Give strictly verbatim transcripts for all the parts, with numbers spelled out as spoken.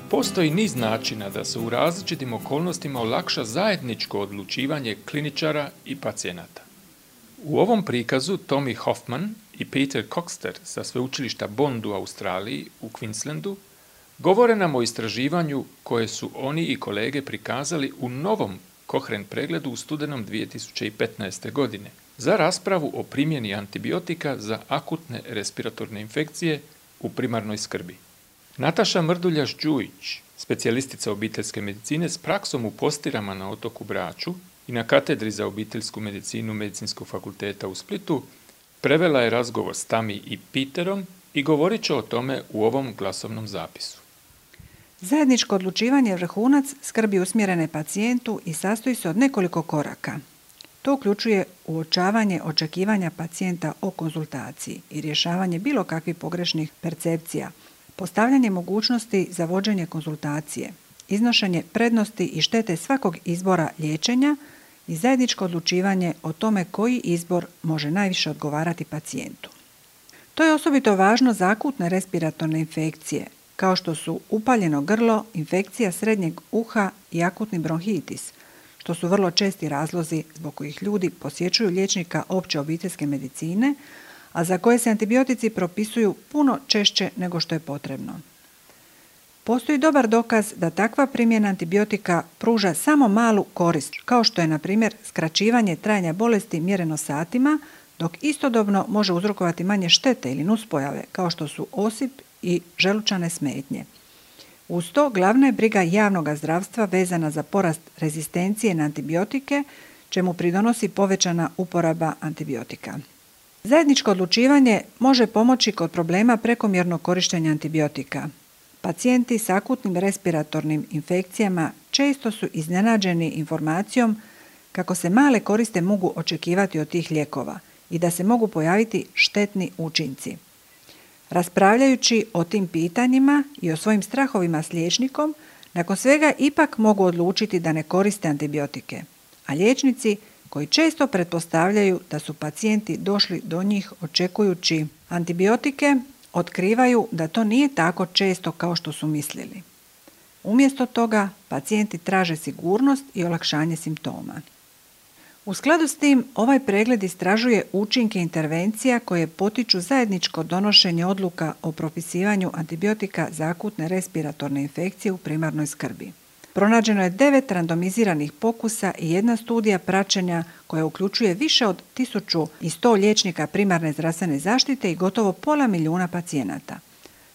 Postoji niz načina da se u različitim okolnostima olakša zajedničko odlučivanje kliničara i pacijenata. U ovom prikazu Tommy Hoffman i Peter Coxter sa sveučilišta Bond u Australiji u Queenslandu govore nam o istraživanju koje su oni i kolege prikazali u novom Cochrane pregledu u studenom dvije tisuće petnaeste. godine za raspravu o primjeni antibiotika za akutne respiratorne infekcije u primarnoj skrbi. Nataša Mrduljaš-Đujić, specijalistica obiteljske medicine s praksom u Postirama na otoku Braču i na katedri za obiteljsku medicinu Medicinskog fakulteta u Splitu, prevela je razgovor s Tami i Peterom i govorit će o tome u ovom glasovnom zapisu. Zajedničko odlučivanje je vrhunac skrbi usmjerene pacijentu i sastoji se od nekoliko koraka. To uključuje uočavanje očekivanja pacijenta o konzultaciji i rješavanje bilo kakvih pogrešnih percepcija, postavljanje mogućnosti za vođenje konzultacije, iznošenje prednosti i štete svakog izbora liječenja i zajedničko odlučivanje o tome koji izbor može najviše odgovarati pacijentu. To je osobito važno za akutne respiratorne infekcije, kao što su upaljeno grlo, infekcija srednjeg uha i akutni bronhitis, što su vrlo česti razlozi zbog kojih ljudi posjećuju liječnika opće obiteljske medicine, a za koje se antibiotici propisuju puno češće nego što je potrebno. Postoji dobar dokaz da takva primjena antibiotika pruža samo malu korist, kao što je, na primjer, skraćivanje trajanja bolesti mjereno satima, dok istodobno može uzrokovati manje štete ili nuspojave, kao što su osip i želučane smetnje. Uz to, glavna je briga javnog zdravstva vezana za porast rezistencije na antibiotike, čemu pridonosi povećana uporaba antibiotika. Zajedničko odlučivanje može pomoći kod problema prekomjernog korištenja antibiotika. Pacijenti s akutnim respiratornim infekcijama često su iznenađeni informacijom kako se male koriste mogu očekivati od tih lijekova i da se mogu pojaviti štetni učinci. Raspravljajući o tim pitanjima i o svojim strahovima s liječnikom, nakon svega ipak mogu odlučiti da ne koriste antibiotike, a liječnici koji često pretpostavljaju da su pacijenti došli do njih očekujući antibiotike, otkrivaju da to nije tako često kao što su mislili. Umjesto toga, pacijenti traže sigurnost i olakšanje simptoma. U skladu s tim, ovaj pregled istražuje učinke intervencija koje potiču zajedničko donošenje odluka o propisivanju antibiotika za akutne respiratorne infekcije u primarnoj skrbi. Pronađeno je devet randomiziranih pokusa i jedna studija praćenja koja uključuje više od tisuću sto liječnika primarne zdravstvene zaštite i gotovo pola milijuna pacijenata.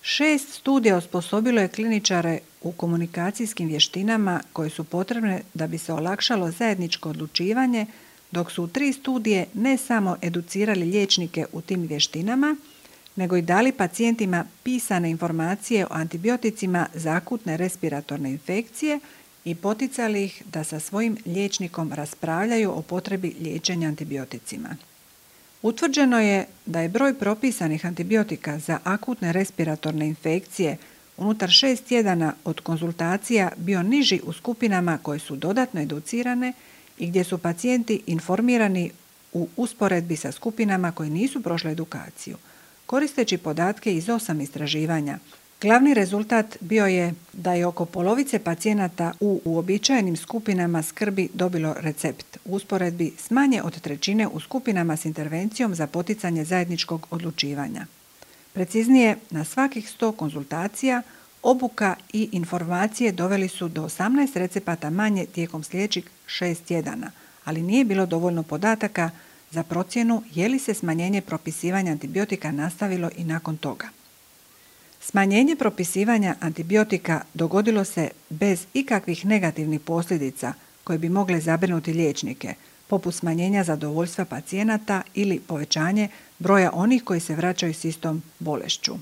Šest studija osposobilo je kliničare u komunikacijskim vještinama koje su potrebne da bi se olakšalo zajedničko odlučivanje, dok su u tri studije ne samo educirali liječnike u tim vještinama, nego i dali pacijentima pisane informacije o antibioticima za akutne respiratorne infekcije i poticali ih da sa svojim liječnikom raspravljaju o potrebi liječenja antibioticima. Utvrđeno je da je broj propisanih antibiotika za akutne respiratorne infekcije unutar šest tjedana od konzultacija bio niži u skupinama koje su dodatno educirane i gdje su pacijenti informirani u usporedbi sa skupinama koje nisu prošle edukaciju. Koristeći podatke iz osam istraživanja, glavni rezultat bio je da je oko polovice pacijenata u uobičajenim skupinama skrbi dobilo recept, u usporedbi s manje od trećine u skupinama s intervencijom za poticanje zajedničkog odlučivanja. Preciznije, na svakih sto konzultacija, obuka i informacije doveli su do osamnaest recepata manje tijekom sljedećih šest tjedana, ali nije bilo dovoljno podataka za procjenu je li se smanjenje propisivanja antibiotika nastavilo i nakon toga. Smanjenje propisivanja antibiotika dogodilo se bez ikakvih negativnih posljedica koje bi mogle zabrinuti liječnike, poput smanjenja zadovoljstva pacijenata ili povećanje broja onih koji se vraćaju s istom bolešću.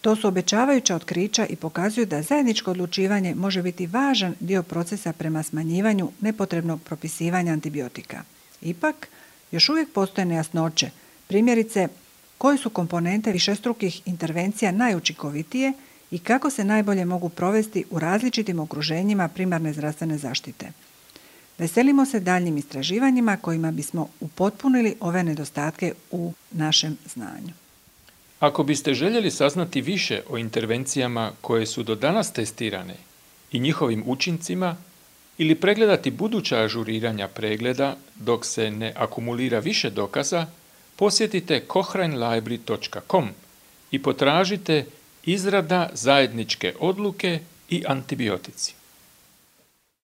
To su obećavajuća otkrića i pokazuju da zajedničko odlučivanje može biti važan dio procesa prema smanjivanju nepotrebnog propisivanja antibiotika. Ipak, još uvijek postoje nejasnoće, primjerice koje su komponente višestrukih intervencija najučinkovitije i kako se najbolje mogu provesti u različitim okruženjima primarne zdravstvene zaštite. Veselimo se daljnjim istraživanjima kojima bismo upotpunili ove nedostatke u našem znanju. Ako biste željeli saznati više o intervencijama koje su do danas testirane i njihovim učincima ili pregledati buduća ažuriranja pregleda dok se ne akumulira više dokaza, posjetite cochrane library dot com i potražite izrada zajedničke odluke i antibiotici.